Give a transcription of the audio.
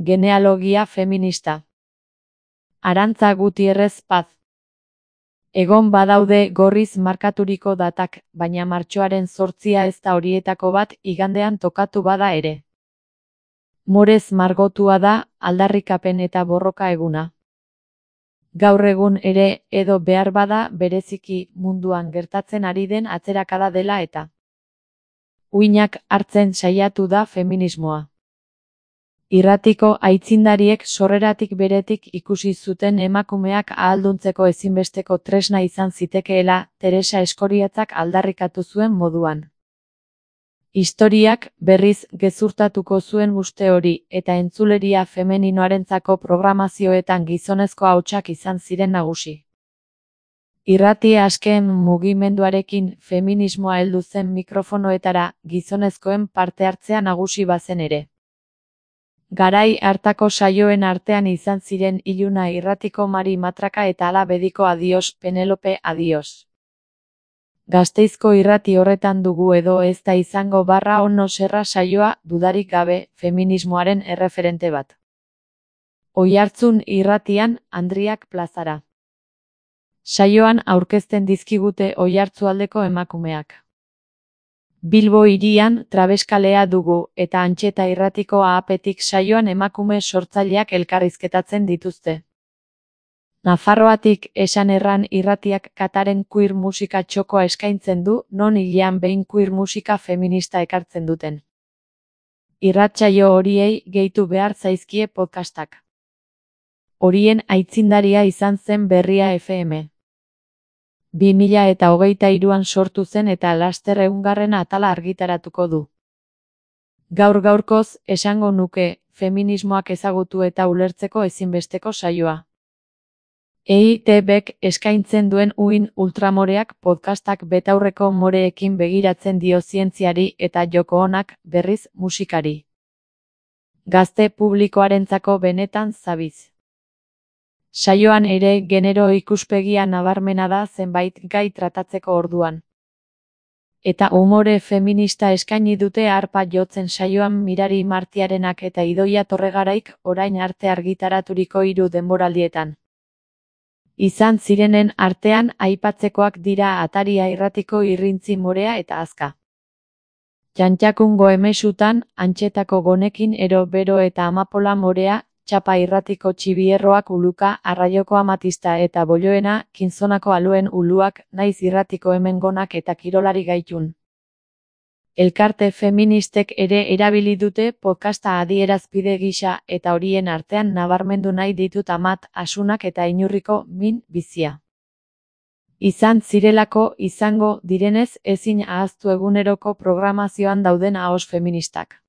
Genealogia feminista. Arantza Gutierrez Paz. Egon badaude gorriz markaturiko datak, baina martxoaren 8 ez da horietako bat, igandean tokatu bada ere. Morez margotua da, aldarrikapen eta borroka eguna. Gaur egun ere, edo behar bada, bereziki munduan gertatzen ari den atzerakada dela eta uinak hartzen saiatu da feminismoa. Irratiko aitzindariek sorreratik beretik ikusi zuten emakumeak ahalduntzeko ezinbesteko tresna izan zitekeela, Teresa Eskoriatzak aldarrikatu zuen moduan. Historiak berriz gezurtatuko zuen uste hori, eta entzuleria femeninoarentzako programazioetan gizonezko ahotsak izan ziren nagusi. Irrati askeen mugimenduarekin feminismoa heldu zen mikrofonoetara, gizonezkoen parte hartzea nagusi bazen ere. Garai hartako saioen artean izan ziren Iluna irratiko Mari Matraka eta Ala Bediko Adios, Penelope Adios. Gasteizko irrati horretan dugu edo ez da izango barra ono serra saioa, dudarik gabe, feminismoaren erreferente bat. Oihartzun irratian, Andriak plazara. Saioan aurkezten dizkigute Oiartzualdeko emakumeak. Bilbo hirian Trabeskalea dugu, eta Antxeta irratiko Ahapetik saioan emakume sortzaileak elkarrizketatzen dituzte. Nafarroatik Esan Erran irratiak Kataren queer musika txokoa eskaintzen du, non hilean behin queer musika feminista ekartzen duten. Irratsaio horiei gehitu behar zaizkie podcastak. Horien aitzindaria izan zen Berria FM. 2023an sortu zen eta laster 100. atala argitaratuko du. Gaur-gaurkoz, esango nuke, feminismoak ezagutu eta ulertzeko ezinbesteko saioa. EITBek eskaintzen duen uin ultramoreak podcastak betaurreko moreekin begiratzen dio zientziari eta joko onak, berriz, musikari. Gazte publikoarentzako benetan zabiz. Saioan ere genero ikuspegia nabarmena da zenbait gai tratatzeko orduan. Eta umore feminista eskaini dute harpa jotzen saioan Mirari Martiarenak eta Idoia Torregaraik orain arte argitaraturiko 3 denboraldietan. Izan zirenen artean aipatzekoak dira Ataria irratiko Irrintzi morea eta Azka. Txantxakungo emesutan, Antxetako Gonekin ero bero eta Amapola morea, Txapa irratiko Txibierroak uluka, Arraioko Amatista eta Bolloena, Kinzonako Aluen uluak, Naiz irratiko Hemengonak eta Kirolari gaitun. Elkarte feministek ere erabili dute podcasta adierazpide gisa eta horien artean nabarmendu nahi ditut Amat, Asunak eta Inurriko Min bizia. Izan zirelako, izango direnez ezin ahaztu eguneroko programazioan dauden ahos feministak.